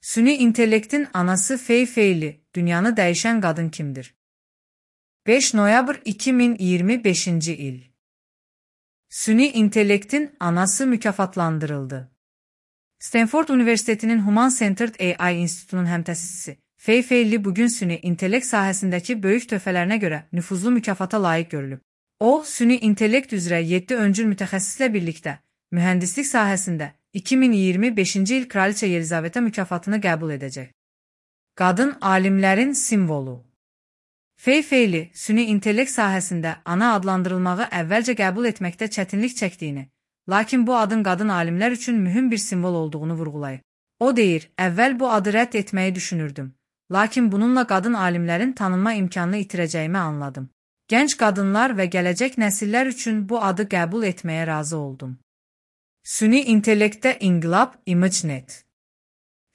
Süni intellektin anası Fei Feili, dünyanı dəyişən qadın kimdir? 5 noyabr 2025 il. Süni intellektin anası mükafatlandırıldı. Stanford Üniversitetinin Human Centered AI İnstitutunun həmtəsisisi Fei Feili bugün süni intellekt sahəsindəki böyük töhfələrinə görə nüfuzlu mükafata layiq görülüb. O, süni intellekt üzrə 7 öncül mütəxəssislə birlikdə mühəndislik sahəsində 2025 il Kraliçə Yelizaveta mükafatını qəbul edəcək. Qadın alimlərin simvolu. Fei Feili, süni intellekt sahəsində ana adlandırılmağı əvvəlcə qəbul etməkdə çətinlik çəkdiyini, lakin bu adın qadın alimlər üçün mühüm bir simvol olduğunu vurğulayıb. O deyir, əvvəl bu adı rədd etməyi düşünürdüm, lakin bununla qadın alimlərin tanınma imkanını itirəcəyimi anladım. Gənc qadınlar və gələcək nəsillər üçün bu adı qəbul etməyə razı oldum. Süni intellektdə inqilab ImageNet.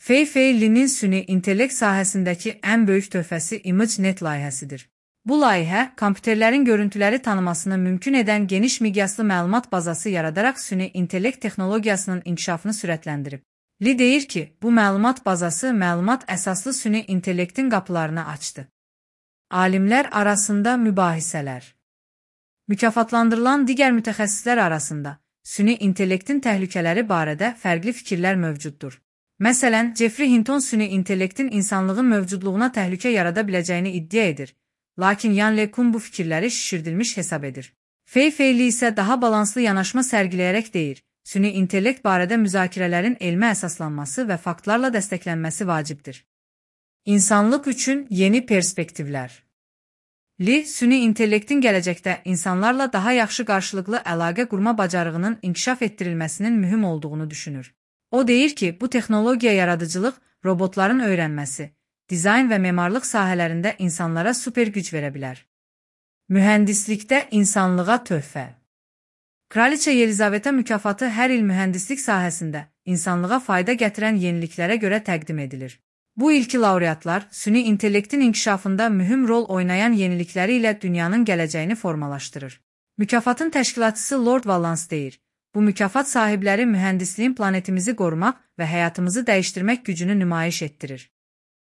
Fei Feili'nin süni intellekt sahəsindəki ən böyük töhfəsi ImageNet layihəsidir. Bu layihə, kompüterlərin görüntüləri tanımasını mümkün edən geniş miqyaslı məlumat bazası yaradaraq süni intellekt texnologiyasının inkişafını sürətləndirib. Li deyir ki, bu məlumat bazası məlumat əsaslı süni intellektin qapılarını açdı. Alimlər arasında mübahisələr. Mükafatlandırılan digər mütəxəssislər arasında süni intellektin təhlükələri barədə fərqli fikirlər mövcuddur. Məsələn, Jeffrey Hinton süni intellektin insanlığın mövcudluğuna təhlükə yarada biləcəyini iddia edir, lakin Yan LeCun bu fikirləri şişirdilmiş hesab edir. Fei Feili isə daha balanslı yanaşma sərgiləyərək deyir, süni intellekt barədə müzakirələrin elmə əsaslanması və faktlarla dəstəklənməsi vacibdir. İnsanlıq üçün yeni perspektivlər. Li, süni intellektin gələcəkdə insanlarla daha yaxşı qarşılıqlı əlaqə qurma bacarığının inkişaf etdirilməsinin mühüm olduğunu düşünür. O deyir ki, bu texnologiya yaradıcılıq, robotların öyrənməsi, dizayn və memarlıq sahələrində insanlara super güc verə bilər. Mühəndislikdə insanlığa töhfə. Kraliçə Yelizaveta mükafatı hər il mühəndislik sahəsində insanlığa fayda gətirən yeniliklərə görə təqdim edilir. Bu ilki laureatlar süni intellektin inkişafında mühüm rol oynayan yenilikləri ilə dünyanın gələcəyini formalaşdırır. Mükafatın təşkilatçısı Lord Valance deyir, bu mükafat sahibləri mühəndisliyin planetimizi qorumaq və həyatımızı dəyişdirmək gücünü nümayiş etdirir.